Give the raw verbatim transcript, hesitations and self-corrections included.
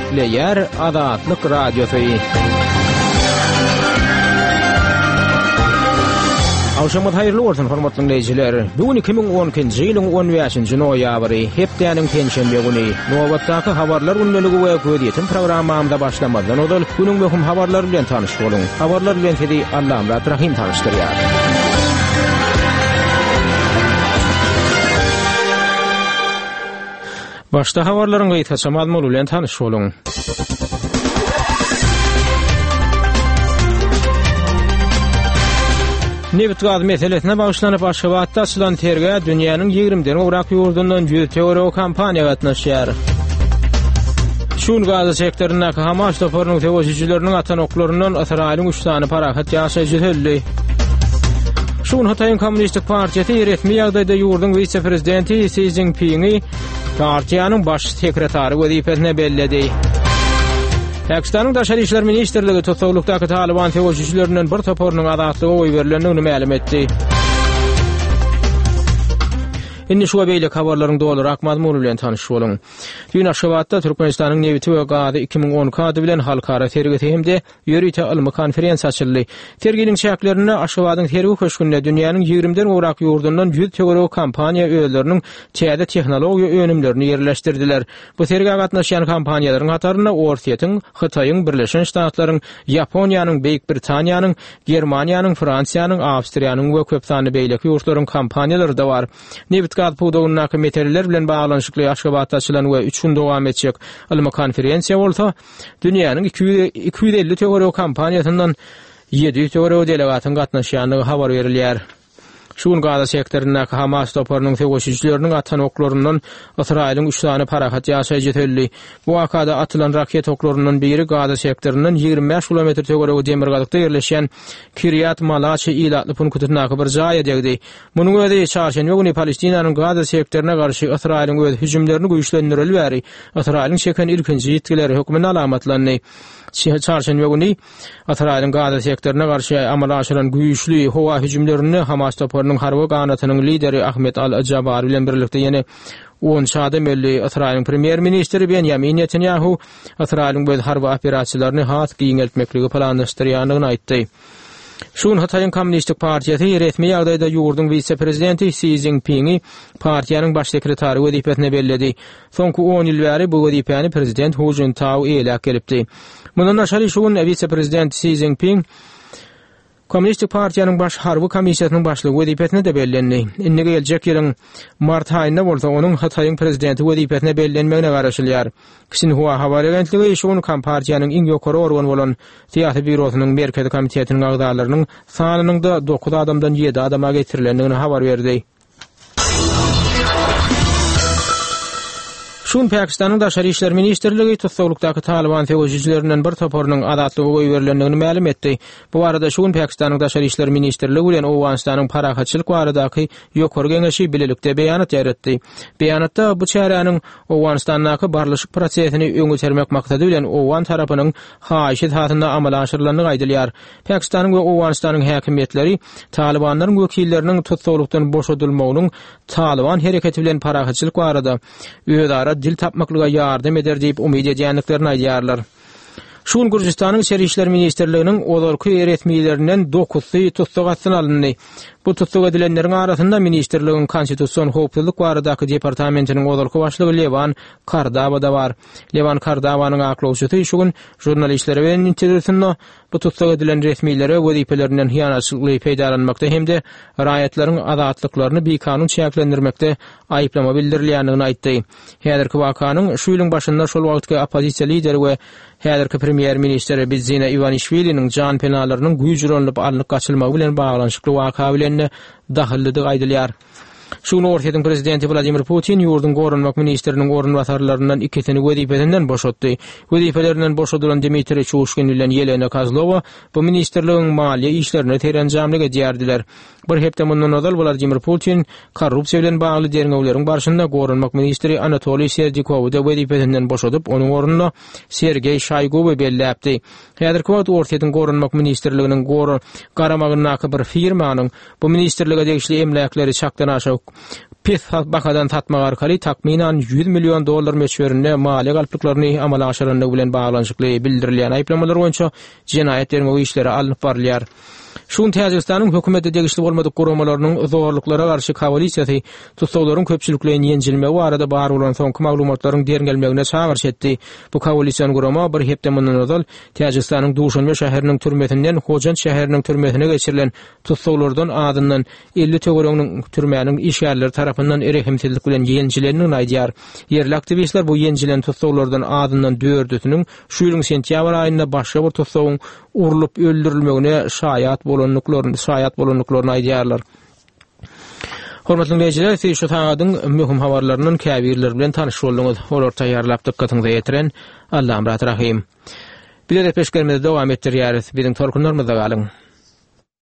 Gepleýär Azatlyk Radiosy. Agşamyňyz haýyrly bolsun, hormatly dinleýjiler. Bu gün iki müň on ikinji ýylyň on bäşinji noýabry, hepdäniň penşenbe güni. Nobatdaky habarlar gündeligi we gözýetim programmamyza başlamazdan ozal günüň möhüm habarlary bilen tanyş boluň. Habarlar bilen sizi Allamyrat Rahym tanyşdyrýar. Başda habarlaryň gysgaça mazmuny bilen tanyş boluň. Nebit-gaz meselesine bagyşlanyp Aşgabatda açylan sergä dünýäniň ýigrimiden gowrak ýurdundan ýüz töweregi kompaniýa gatnaşýar. Şu gün Gaza sektoryndaky Hamas toparynyň söweşijileriniň atan oklaryndan Ysraýylyň üç sany parahat ýaşaýjysy öldi. Şu gün Hytaýyň Kommunistik partiýasy resmi ýagdaýda ýurduň wise-prezidenti Si Szinpingi partiýanyň baş sekretary wezipesine belledi. Pakistanyň Daşary işler ministrligi tussaglykdaky Talyban söweşijilerinden bir toparynyň azatlyga goýberilendigini mälim etdi. Indi şu we beýleki habarlaryň dolurak mazmuny bilen tanyş boluň. Düýn Aşgabatda Türkmenistanyň nebiti we gazy iki müň on iki ady bilen halkara sergisi hem-de ýörite ylmy konferensiýa açyldy. Serginiň çäklerinde Aşgabadyň sergi köşgünde dünýäniň ýigrimiden gowrak ýurdundan ýüz töweregi kompaniýa özleriniň täze tehnologiýa önümlerini ýerleşdirdiler. Bu sergä gatnaşýan kompaniýalaryň hatarynda Orsýetiň, Hytaýyň, Birleşen Ştatlaryň, Ýaponiýanyň, Beýik Britaniýanyň, Germaniýanyň, Fransiýanyň, Awstriýanyň we köp sanly beýleki ýurtlaryň kompaniýalary-da bar. Nebit-gaz pudagyndaky meseleler bilen baglanyşykly Aşgabatda açylan we üç gün dowam etjek ylmy konferensiýa bolsa dünýäniň iki ýüz, iki ýüz elli töweregi kompaniýasyndan ýedi ýüz töweregi delegatyň gatnaşýandygy habar berilýär. Şu gün Gaza sektoryndaky Hamas toparynyň söweşijileriniň atan oklaryndan Ysraýylyň üç sany parahat ýaşaýjysy öldi. Bu wakada atylan raket oklaryndan biri Gaza sektoryndan ýigrimi bäş kilometr töweregi demirgazykda ýerleşýän Kiryat Malaçi ilatly punktyndaky bir jaýa degdi. Munuň özi çarşenbe güni Palestinanyň Gaza sektoruna garşy Ysraýylyň öz hüjümlerini güýçlendireli bäri Ysraýylyň çeken ilkinji ýitgileri hökmünde alamatlandy. Çarşenbe güni Ysraýylyň Gaza sektoruna garşy amala aşyran güýçli howa hüjümlerinde Hamas toparynyň harby ganatynyň lideri Ahmet Al-Jabari bilen birlikde ýene on adam öldi. Ysraýylyň premýer-ministri Benýamin Netanýahu Ysraýylyň öz harby operasiýalaryny has giňeltmekligi planlaşdyrýandygyny aýtdy. Şu gün Hytaýyň Kommunistik partiýasy resmi ýagdaýda ýurduň wise-prezidenti Si Szinpingi partiýanyň baş sekretary wezipesine belledi. Soňky on ýyl bäri bu wezipäni prezident Hu Jintao eýläp gelipdi. Mundan daşary şu gün wise-prezident Si Szinpin Kommunistik partiýanyň baş harby komissiýasynyň başlygy wezipesine de bellendi. Indi geljek ýylyň mart aýynda bolsa onuň Hytaýyň prezidenti wezipesine bellenmegine garaşylýar. Xinhua habar agentligi şu gün Kompartiýanyň iň ýokary organy bolan Syýasy býurosynyň Merkezi komitetiniň agzalarynyň sanynyň da dokuz adamdan ýedi adama getirilendigini habar berdi. Şu gün Pakistanyň Daşary işler ministrligi tussaglykdaky Talyban söweşijilerinden bir toparynyň azatlyga goýberilendigini mälim etdi. Bu barada şu gün Pakistanyň Daşary işler ministrligi bilen Owganystanyň parahatçylyk baradaky ýokary geňeşi bilelikde beýanat ýaratdy. Beýanatda bu çäräniň Owganystandaky barlyşyk prosesini öňe sermek maksady bilen Owgan tarapynyň haýyşy esasynda amala aşyrylandygy aýdylýar. Pakistanyň we Owganystanyň häkimiýetleri Talybanlaryň wekilleriniň tussaglykdan boşadylmagynyň Talyban hereketi bilen parahatçylyk barada özara dil tapmaklyga ýardam eder diýip umyt edýändiklerini aýdýarlar. Şu gün Gürjüstanyň İçeri İşler Ministrliginiň ozalky resmilerinden dokuzsy tussag astyna alyndy. Bu tussag edilenleriň arasynda ministrligiň Konstitusion howpsuzlyk baradaky departamentiniň ozalky başlygy Lewan Kardava da bar. Lewan Kardavanyň aklawçysy şu gün žurnalistlere beren interwýusynda bu tussag edilen resmilere wezipelerinden hyýanatçylykly peýdalanmakda hem-de raýatlaryň azatlyklaryny bikanun çäklendirmekde aýyplama bildirilýändigini aýtdy. Häzirki wakanyň şu ýylyň başynda şol wagtky oppozisiýa lideri we häzirki premýer-ministr Bidzina Iwanişwiliniň jan penalarynyň güýç ulanylyp alnyp gaçylmagy bilen baglanyşykly waka bilen dahyllydygy aýdylýar. Şu gün Orsýetiň prezidenti Wladimir Putin ýurduň goranmak ministriniň orunbasarlaryndan ikisini wezipesinden boşatdy. Wezipelerinden boşadylan Dmitriý Çuşkin bilen Ýelena Kozlowa bu ministrligiň maliýe işlerine serenjamlyk edýärdiler. Bir hepde mundan ozal Wladimir Putin korrupsiýa bilen bagly derňewleriň barşynda goranmak ministri Anatoliý Serdikowy da wezipesinden boşadyp, onuň ornuna Sergeý Şoýguwy belläpdi. Häzirki wagt Orsýetiň goranmak ministrliginiň garamagyndaky bir firmanyň bu ministrlige degişli emläkleri çakdan aşa pes bahadan satmak arkaly takmynan ýüz million dollar möçberinde maliýe galplyklaryny amala aşyrandygy bilen baglanyşykly bildirilýän aýyplamalar boýunça jenaýat derňew işleri alnyp barylýar. Şu gün Täjigistanyň hökümete degişli bolmadyk guramalarynyň zorluklara garşy koalisiýasy tussaglaryň köpçülikleýin ýenjilmegi barada bar bolan soňky maglumatlaryň derňelmegine çagyryş etdi. Bu koalision gurama bir hepde mundan ozal Täjigistanyň Duşanbe şäheriniň türmesinden Hojant şäheriniň türmesine geçirilen tussaglardan azyndan elli töwereginiň türmäniň işgärleri tarapyndan rehimsizlik bilen ýenjilendigini aýdýar. Ýerli aktiwistler bu ýenjilen tussaglardan azyndan dördüsiniň şu ýylyň sentýabr aýynda başga bir tussagyň urlup öldürilmegine şaýat bolandyklaryny şaýat bolandyklaryny aýdýarlar. Hormatly dinleýjiler, siz şu sagadyň möhüm habarlaryndan käbirleri bilen tanyş bolduňyz. Olary taýýarlap dykgatyňyza ýetiren Allamyrat Rahym. Biz gepleşiklerimizi dowam etdirýäris. Biziň tolkunlarymyzda galyň.